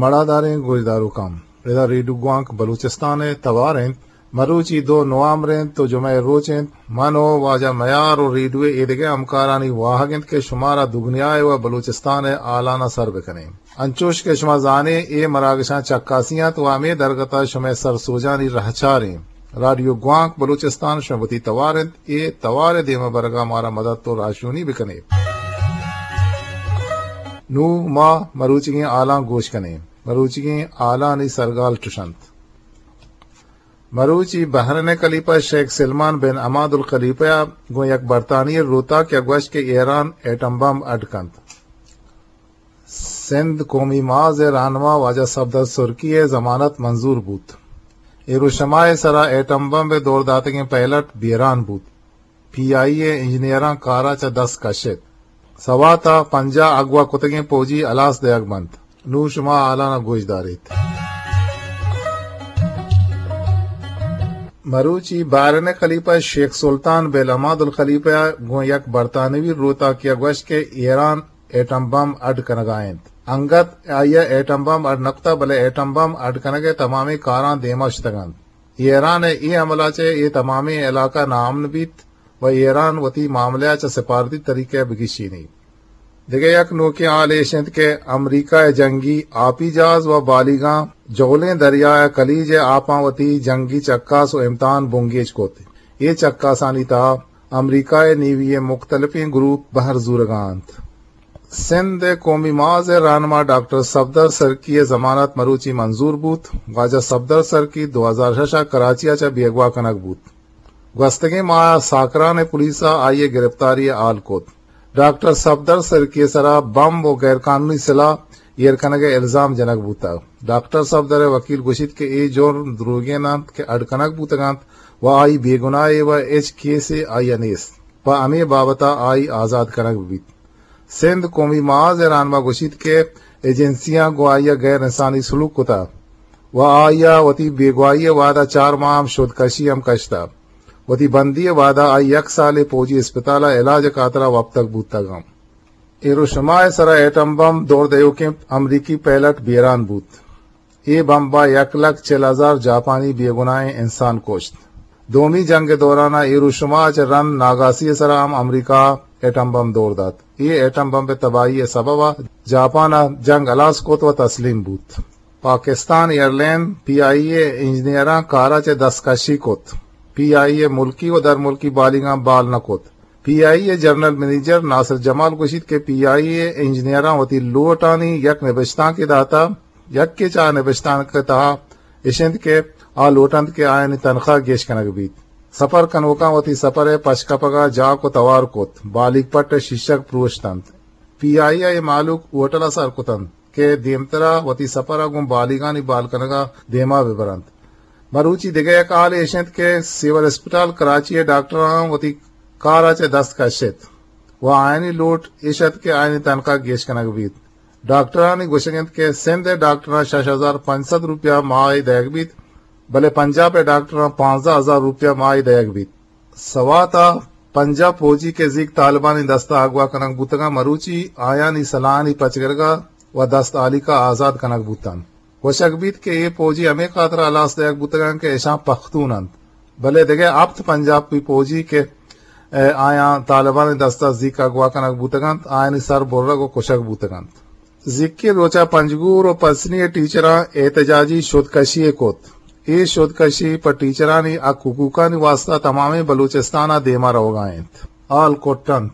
مڑاداریں گوشداروکاں، ادا ریڈیو گوانک بلوچستان ءِ توار انت۔ مروچی دو نوامبر انت و جمعہ ءِ روچ انت۔ من و واجہ میار و ریڈیو ءِ ایدگہ ہمکارانی واہگ انت کہ شمارا دگنیا ءِ و بلوچستان ءِ ہالاناں سر بکنیں۔ انچوش کہ شما زانیں، اے مراگشاں چکاسی انت و ہمے درگت ءَ شمئے سرسوجانی رہچار ایں۔ رادیو گوانک بلوچستان شمئے وتی توار انت، اے توار ءِ دیما برگ ءَ مارا مدد و راہشونی بکنیت۔ نوں ما مروچیگیں ہالاں گوش کنیں۔ مروچیگیں ہالانی سرگال چش انت۔ مروچی بحرین ءِ خلیفہ شیخ سلمان بن حماد الخلیفہ ءَ گوں یک برطانوی روتاکے ءَ گوشت کہ ایران ایٹم بمب اڈ کنت۔ سندھ قومی محاذ ءِ راہنما واجہ صفدر سرکی ءِ ضمانت منظور بوت۔ ہیروشما ءِ سرا ایٹم بمب ءِ دور داتگیں پائلٹ بیران بوت۔ پی آئی اے انجینئراں کار ءَ چہ دست کشت۔ سوات ءَ پنجاہ اغوا کتگیں پوجی ہلاس دئیگ بنت۔ نوں شما ہالاناں گوش داریت۔ مروچی بحرین ءِ خلیفہ شیخ سلطان بن حماد الخلیفہ ءَ گوں یک برطانوی روتاکے ءَ گوشت کہ ایران ایٹم بمب اڈ کنگ ءَ انت۔ انگت آئی ءَ ایٹم بمب اڈ نہ کتگ، بلے ایٹم بمب اڈ کنگ ءِ تمامیں کاراں دیما شتگ انت۔ ایران ءِ اے حملہ ءَ چہ اے تمامیں علاقہ ناامن بیت و ایران وتی معاملہ ءَ چہ سفارتی طریقہ ءَ بگیشینیت۔ دگہ یک نوکیں ہال ایش انت کہ امریکہ ءِ جنگی آپی جہاز و بالیغاں جہلیں دریا ءِ کلیج ءِ آپاں وتی جنگی چکاس و امتحان بنگیج کت۔ اے چکاسانی تہا امریکہ ءِ نیوی ءِ مختلفیں گروپ بہر زورگ ءَ انت۔ سندھ ءِ قومی محاذ ءِ راہنما ڈاکٹر صفدر سرکی ءِ ضمانت مروچی منظور بوت۔ واجہ صفدر سرکی دو ہزار شش ءَ کراچی ءَ چہ بیگواہ کنگ بوت۔ گوستگیں ماہ ءَ ساکران ءِ پولیس ءَ آئی ءِ گرفتاری ءِ ہال کت۔ ڈاکٹر صفدر سرکی ءِ سرا بمب و غیر قانونی سلاہ ایر کنگ ءِ الزام جنگ بوتگ۔ ڈاکٹر صفدر ءِ وکیل گوشیت کہ اے جرم دروگین انت کہ اڈ کنگ بوتگ انت و آئی بے گناہے و ہچ کیسے آئی ءَ نیست۔ پہ ہمے بابت ءَ آئی آزاد کنگ بہ بیت۔ سندھ قومی محاذ ءِ راہنما گوشیت کہ ایجنسیاں گوں آئی ءَ غیر انسانی سلوک کتگ و آئی ءَ وتی بیگواہی ءِ وہد ءَ چار ماہ ہم شودکشی ہم کشتگ۔ وتی بندی ءِ وہد ءَ آئی یک سالے پوجی اسپتال ءَ علاج ءِ خاطر ءَ وپتگ بوتگ انت۔ ہیروشما ءِ سرا ایٹم بمب دور دئیوکیں امریکی پائلٹ بیران بوت۔ اے بمب ءَ یک لکھ چل ہزار جاپانی بے گناہیں انسان کشت۔ دومی جنگ ءِ دوران ءَ ہیروشما ءَ چہ رند ناگاسی ءِ سرا ہم امریکہ ءَ ایٹم بمب دور دات۔ اے ایٹم بمب ءِ تباہی ءِ سبب ءَ جاپان ءَ جنگ ہلاس کت و تسلیم بوت۔ پاکستان ایئرلائن پی آئی اے انجینئراں کار ءَ چہ دستکشی کت۔ پی آئی اے ملکی و درملکی بالیغاں بال نہ کت۔ پی آئی اے جنرل منیجر ناصر جمال گوشیت کہ پی آئی اے انجینئراں وتی لوٹانی یک نبشتانکے داتہ، یکے چہ آ نبشتانک ءِ تہا اش انت کہ آ لوٹ انت کہ آیانی تنخواہ گیش کنگ بیت۔ سپر کنوکاں وتی سپر ءِ پچ کپگ ءَ جاک و توار کت، بالیغ پٹ ءِ شیشگ پروشت انت۔ پی آئی اے ءِ مہلوک ہوٹل ءَ سر کت انت کہ دیمترا وتی سپر ءَ گوں بالیغانی بال کنگ ءَ دیما بہ بر انت۔ مروچی دگہ یک ہالے اش انت کہ سول اسپتال کراچی ءِ ڈاکٹراں وتی کار ءَ چہ دست کشت و آیانی لوٹ اش ات کہ آیانی تنخواہ گیش کنگ بیت۔ ڈاکٹرانی گوشگ انت کہ سندھ ءِ ڈاکٹراں شش ہزار پنچ سد روپیہ ماہے دئیگ بیت، بلے پنجاب ءِ ڈاکٹراں پانزدہ ہزار روپیہ ماہے دئیگ بیت۔ سوات ءَ پنجاہ پوجی کہ زیک طالبانی دست ءَ اغوا کنگ بوتگاں، مروچی آیانی سلاہانی پچ گرگ ءَ و دست ہالیکا آزاد کنگ بوتنت۔ گوشگ بیت کہ اے پوجی ہمے خاطر ءَ ہلاس دئیگ بوتگاں کہ اشاں پختون انت، بلے دگہ ہپت پنجابی پوجی کہ، ءَ، آیاں طالبانی دست ءَ زیک اغوا کنگ بوتگ انت، آیانی سر برگ و کشگ بوتگ انت۔ زیکیں روچ ءَ پنجگور و پسنی ءِ ٹیچراں احتجاجی شودکشی یے کت۔ اے شودکشی پہ ٹیچرانی حق حقوقانی واستا تمامیں بلوچستان ءَ دیما روگ ءَ انت۔ ہال کٹ انت۔